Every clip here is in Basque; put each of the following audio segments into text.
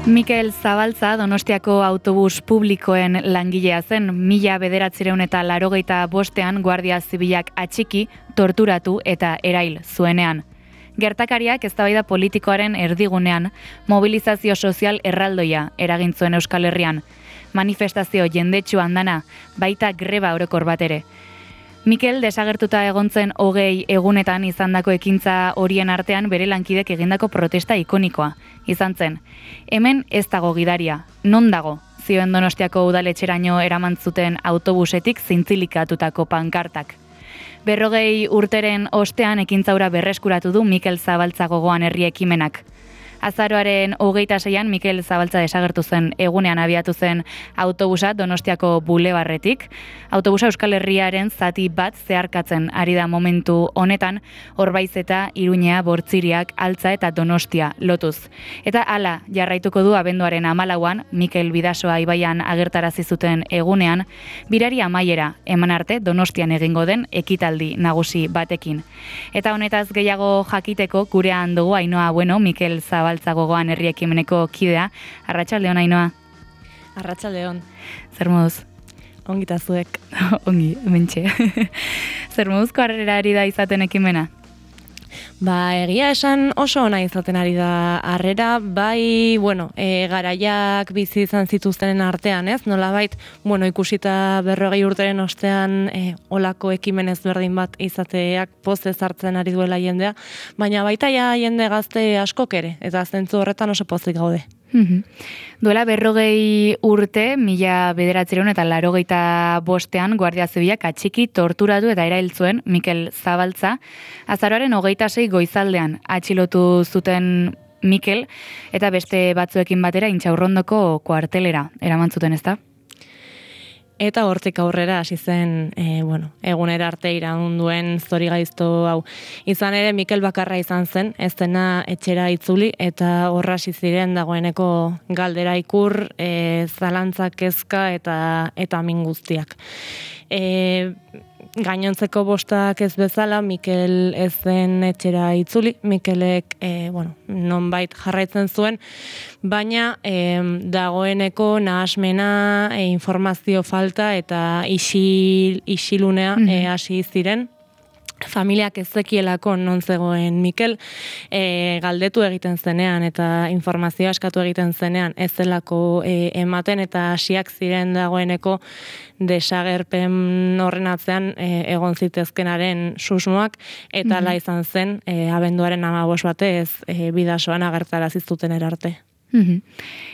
Mikel Zabaltza Donostiako autobus publikoen langilea zen. 1985ean Guardia Zibilak atxiki, torturatu eta erail zuenean. Gertakariak eztabaida politikoaren erdigunean mobilizazio sozial erraldoia eragin zuen Euskal Herrian. Manifestazio jendetsu andana, baita greba orokor bat ere. Mikel desagertuta egon zen 20 egunetan izandako ekintza horien artean bere lankidek egindako protesta ikonikoa izan zen. Hemen ez dago gidaria, non dago? Zioen Donostiako udaletxeraino eraman zuten autobusetik zintzilikatutako pankartak. 40 urteren ostean ekintzaura berreskuratu du Mikel Zabaltza gogoan herri ekimenak. Azaroaren 26an Mikel Zabaltza desagertu zen egunean abiatu zen autobusa Donostiako bulebarretik. Autobusa Euskal Herriaren zati bat zeharkatzen ari da momentu honetan, Orbaiz eta Iruñea, Bortziriak, Altza eta Donostia lotuz. Eta hala jarraituko du abenduaren 14an Mikel Bidasoa ibaian agertarazi zuten egunean, birari amaiera eman arte Donostian egingo den ekitaldi nagusi batekin. Eta honetaz gehiago jakiteko gurean dugu Ainhoa Bueno, Mikel Zabaltza gogoan herri ekimeneko kidea. Arratsaldeon, Ainhoa. Arratsaldeon. Zer moduz? Ongita zuek. Ongi, mentxe. Zer moduzko harrera ari da izaten ekimena? Egia esan oso ona izaten ari da harrera, bai, garaiak bizi izan zituztenen artean, ez? Nolabait, ikusita 40 urteren ostean olako ekimen ezberdin bat izateak pozez hartzen ari duela jendea, baina baita ja jende gazte askok ere, eta zentzu horretan oso pozik gaude. Duela 40 urte, 1985ean Guardia Zibilak atxiki, torturatu eta erail zuen Mikel Zabaltza. Azaroaren 26 goizaldean atxilotu zuten Mikel eta beste batzuekin batera Intxaurrondoko kuartelera eraman zuten, ezta? Eta hortik aurrera hasi zen, egunera arte iraun duen zorigaizto hau. Izan ere, Mikel bakarra izan zen, ez dena etxera itzuli, eta horra hasi ziren dagoeneko galdera ikur, zalantzak kezka eta min guztiak. Gainontzeko bostak ez bezala, Mikel ez zen etxera itzuli, Mikelek nonbait jarraitzen zuen, baina dagoeneko nahasmena, informazio falta eta isilunea hasi ziren. Familiak ez zekielako non zegoen Mikel, galdetu egiten zenean eta informazioa eskatu egiten zenean ez zelako ematen eta hasiak ziren dagoeneko desagerpen horren atzean egon zitezkenaren susmoak eta hala izan zen abenduaren 15 batez Bidasoan agertarazi zuten erarte.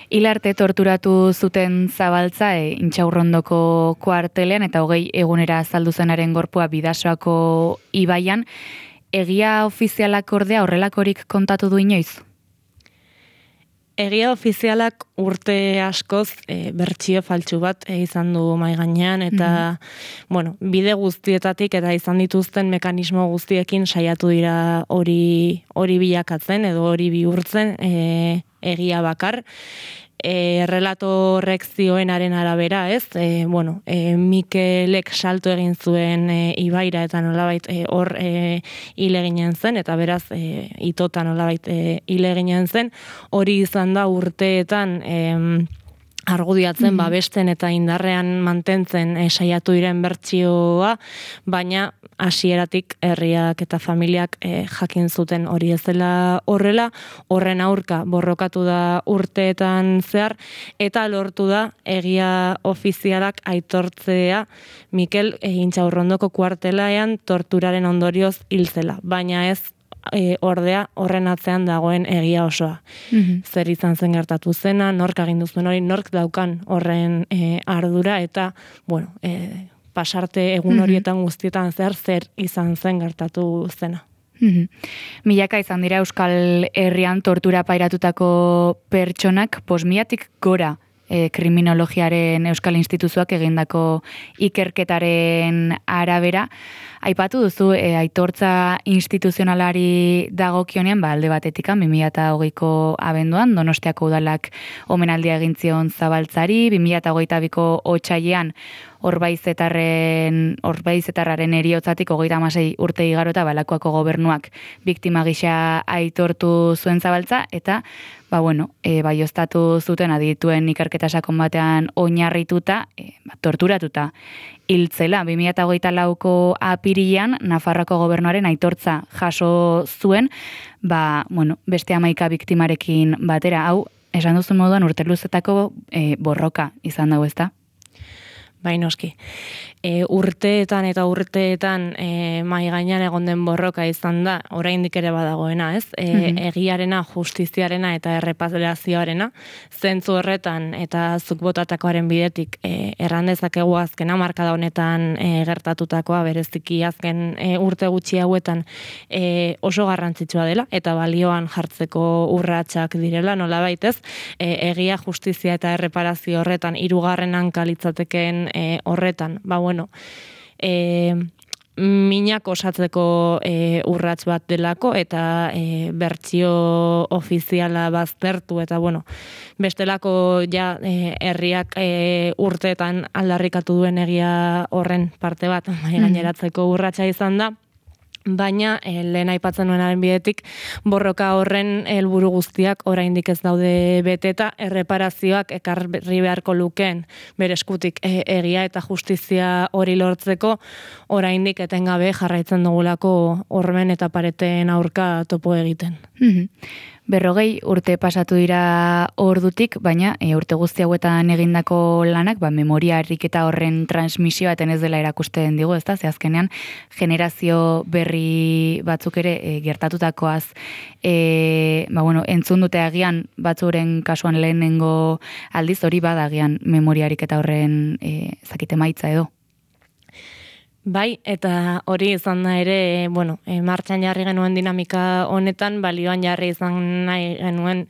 Hilarte torturatu zuten Zabaltza Intxaurrondoko kuartelean eta 20 egunera azaldu zenaren gorpua Bidasoako ibaian. Egia ofizialak ordea horrelakorik kontatu du inoiz? Egia ofizialak urte askoz bertsio faltsu bat izan du mahai gainean eta bide guztietatik eta izan dituzten mekanismo guztiekin saiatu dira hori bilakatzen edo hori bihurtzen egia bakar. Relato horrek zioenaren arabera, ez? Mikelek salto egin zuen ibaira eta nolabait hor hil eginen zen, eta beraz itota nolabait hil eginen zen. Hori izan da urteetan argudiatzen, babesten eta indarrean mantentzen saiatu diren bertsioa, baina hasieratik herriak eta familiak jakin zuten hori ez dela horrela, horren aurka borrokatu da urteetan zehar, eta lortu da egia ofizialak aitortzea Mikel Intxaurrondoko kuartelean torturaren ondorioz hil zela, baina ez ordea horren atzean dagoen egia osoa. Zer izan zen gertatu zena, nork agindu zuen hori, nork daukan horren ardura eta, pasarte egun horietan guztietan zer izan zen gertatu zena. Milaka izan dira Euskal Herrian tortura pairatutako pertsonak, posmiatik gora kriminologiaren Euskal Instituzioak egindako ikerketaren arabera. Aipatu duzu, aitortza instituzionalari dagokionean, alde batetik 2020ko abenduan, Donostiako udalak omenaldia egin zion Zabaltzari, 2022ko otsailean Orbaizetarraren eriotzatik 36 urte igarota Balakoako gobernuak biktima gisa aitortu zuen Zabaltza, eta baioztatu zuten adituen ikerketa sakon batean oinarrituta, torturatuta hiltzela. 2024ko apirilean Nafarroako gobernuaren aitortza jaso zuen, beste 11 biktimarekin batera. Hau, esan duzun moduan urte luzetako borroka izan dago, ezta? Bai, noski. Urteetan mai gainean egon den borroka izan da, oraindik ere badagoena, ez? Egiarena, justiziarena eta erreparazioarena, zentzu horretan eta zuk botatakoaren bidetik erran dezakegu azken hamarkada honetan gertatutakoa, bereziki azken urte gutxi hauetan oso garrantzitsua dela eta balioan jartzeko urratsak direla, nolabait, ez? Egia, justizia eta erreparazio horretan hirugarren hanka litzateken horretan, minak osatzeko urrats bat delako eta bertsio ofiziala baztertu eta bestelako herriak urteetan aldarrikatu duen egia horren parte bat gaineratzeko urratsa izan da. Baina, lehen aipatzen nuenaren bidetik, borroka horren helburu guztiak oraindik ez daude beteta, erreparazioak ekarri beharko lukeen bere eskutik egia eta justizia hori lortzeko, oraindik etengabe jarraitzen dugulako hormen eta pareten aurka topo egiten. 40 urte pasatu dira ordutik, baina urte guzti hauetan egindako lanak, memoria ariketa horren transmisioa eten ez dela erakusten digu, ezta? Ze azkenean generazio berri batzuk ere gertatutakoaz entzun dute agian batzuren kasuan lehenengo aldiz, hori bada agian memoria ariketa horren emaitza edo. Bai, eta hori izan da ere, martxan jarri genuen dinamika honetan, balioan jarri izan nahi genuen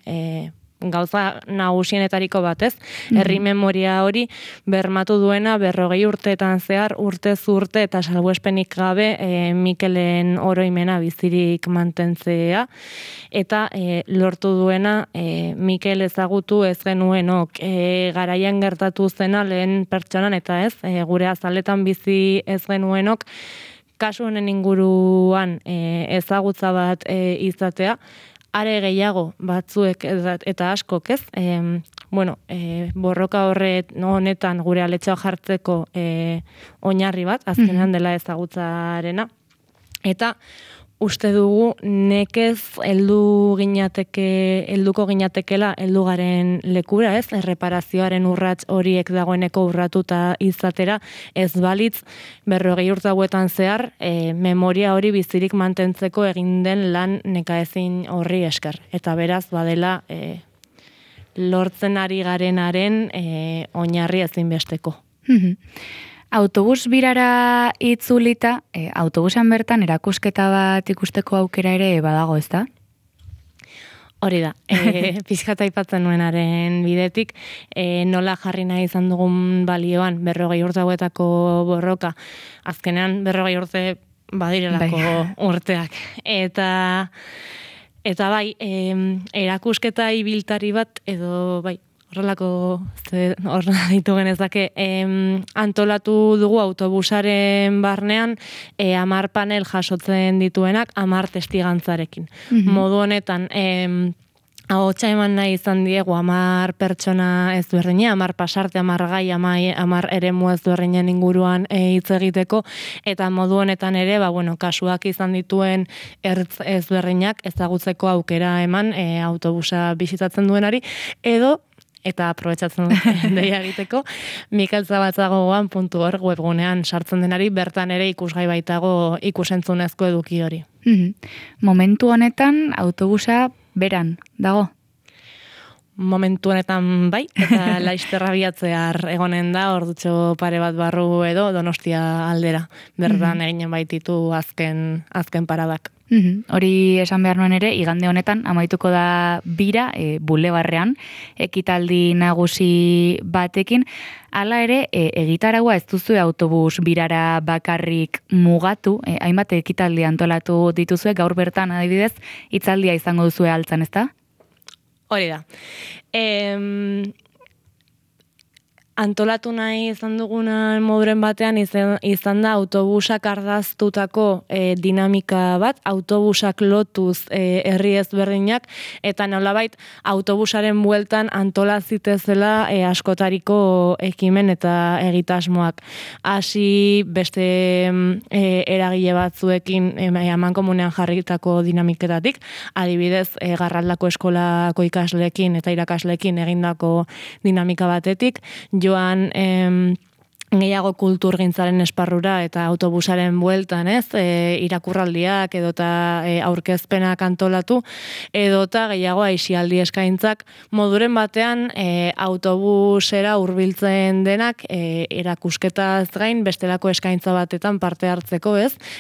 gauza nagusienetariko bat, ez? Herri memoria hori bermatu duena 40 urteetan zehar, urtez urte eta salbuespenik gabe Mikelen oroimena bizirik mantentzea, eta lortu duena Mikel ezagutu ez genuenok garaian gertatu zena lehen pertsonan, eta ez, gure azaletan bizi ez genuenok, kasu honen inguruan ezagutza bat izatea, are gehiago batzuek eta askok, ez? Borroka honetan gure aletxoa jartzeko oinarri bat, azkenean dela ezagutzarena. Eta uste dugu nekez helduko ginatekela heldugaren lekura, ez? Erreparazioaren urrats horiek dagoeneko urratuta izatera, ez balitz 40 urte hauetan zehar memoria hori bizirik mantentzeko egin den lan nekaezin horri esker. Eta beraz badela lortzen ari garenaren oinarri ezinbesteko. Autobus birara itzulita, autobusan bertan erakusketa bat ikusteko aukera ere badago, ezta? Hori da, pixkata aipatzen nuenaren bidetik, nola jarri nahi izan dugun balioan 40 urte hauetako borroka, azkenean 40 urte badirelako urteak. Eta bai, erakusketa ibiltari bat, edo bai, horrelako ditu genezake, antolatu dugu autobusaren barnean 10 panel jasotzen dituenak 10 testigantzarekin. Modu honetan, ahotsa eman nahi izan diegu 10 pertsona ezberdina, 10 pasarte, 10 gai, 10 eremu ezberdinen inguruan hitz egiteko, eta modu honetan ere, kasuak izan dituen ertz ezberdinak ezagutzeko aukera eman autobusa bisitatzen duenari, edo eta aprobetxatzen deia egiteko, mikelzabaltzagoan.org webgunean sartzen denari, bertan ere ikusgai baitago ikusentzunezko eduki hori. Momentu honetan autobusa beran dago? Momentu honetan bai, eta Laisterra biatzear egonen da, ordutxo pare bat barru edo Donostia aldera. Bertan eginen baititu azken paradak. Hori esan behar nuen ere, igande honetan amaituko da bira, bulebarrean, ekitaldi nagusi batekin. Hala ere, egitaragua ez duzu autobus birara bakarrik mugatu, hainbat ekitaldi antolatu dituzue, gaur bertan adibidez, hitzaldia izango duzue altzan, ezta? Hori da. antolatu nahi izan dugunan moduren batean izan da autobusak ardaztutako dinamika bat, autobusak lotuz herri ezberdinak, eta nolabait autobusaren bueltan antolazitezela askotariko ekimen eta egitasmoak. Hasi beste eragile batzuekin amankomunean jarritako dinamiketatik, adibidez, Garraldako eskolako ikasleekin eta irakasleekin egindako dinamika batetik, joan gehiago kulturgintzaren esparrura eta autobusaren bueltan, irakurraldiak edota aurkezpenak antolatu, edota gehiago aisialdi eskaintzak moduren batean autobusera hurbiltzen denak erakusketaz gain bestelako eskaintza batetan parte hartzeko,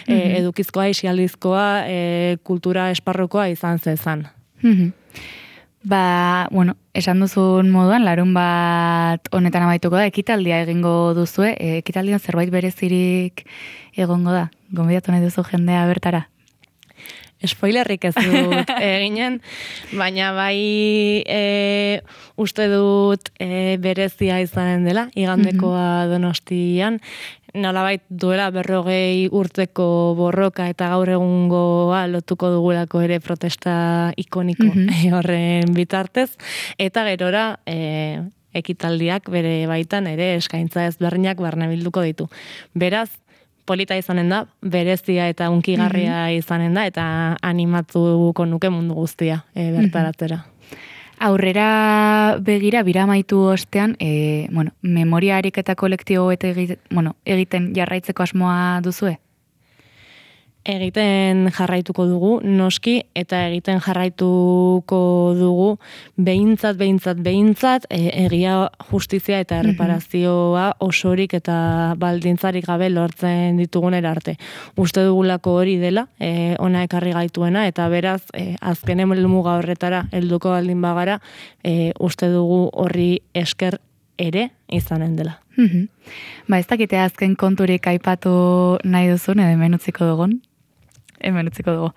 edukizkoa, aisialdizkoa, kultura esparrukoa izan zezan. Esan duzun moduan, larun bat honetan amaituko da, ekitaldia egingo duzue, ekitaldian zerbait berezirik egongo da, gonbidatu nahi duzu jendea bertara? Spoilerrik ez dut eginen, baina bai uste dut berezia izanen dela, igandekoa Donostian, nolabait duela 40 urteko borroka eta gaur egungoa lotuko dugulako ere protesta ikoniko horren bitartez, eta gerora ekitaldiak bere baitan ere eskaintza ezberdinak barnebilduko ditu. Beraz, polita izanen da, berezia eta unkigarria izanen da, eta animatuko nuke mundu guztia bertaratzera. Aurrera begira, bira amaitu ostean, memoria ariketa kolektibo egiten jarraitzeko asmoa duzue? Egiten jarraituko dugu, noski, eta egiten jarraituko dugu behintzat, egia, justizia eta erreparazioa osorik eta baldintzarik gabe lortzen ditugunera arte. Uste dugulako hori dela, ona ekarri gaituena, eta beraz, azken helmuga horretara helduko baldin bagara, uste dugu horri esker ere izanen dela. Ez dakite azken konturik aipatu nahi duzun, edo hemen utziko dugun? Hemen utziko dugu.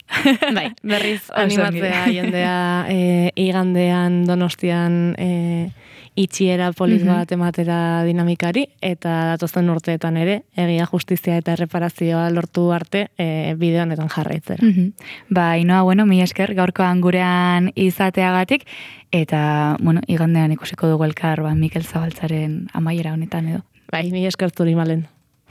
Bai, berriz animatzea jendea igandean Donostian itxiera polit bat ematera dinamikari, eta datozen urteetan ere, egia, justizia eta erreparazioa lortu arte bide honetan jarraitzera. Inoa, mi esker gaurkoan gurean izateagatik, eta, igandean ikusiko dugu elkar, Mikel Zabaltzaren amaiera honetan edo. Bai, mi esker zuri, Malen.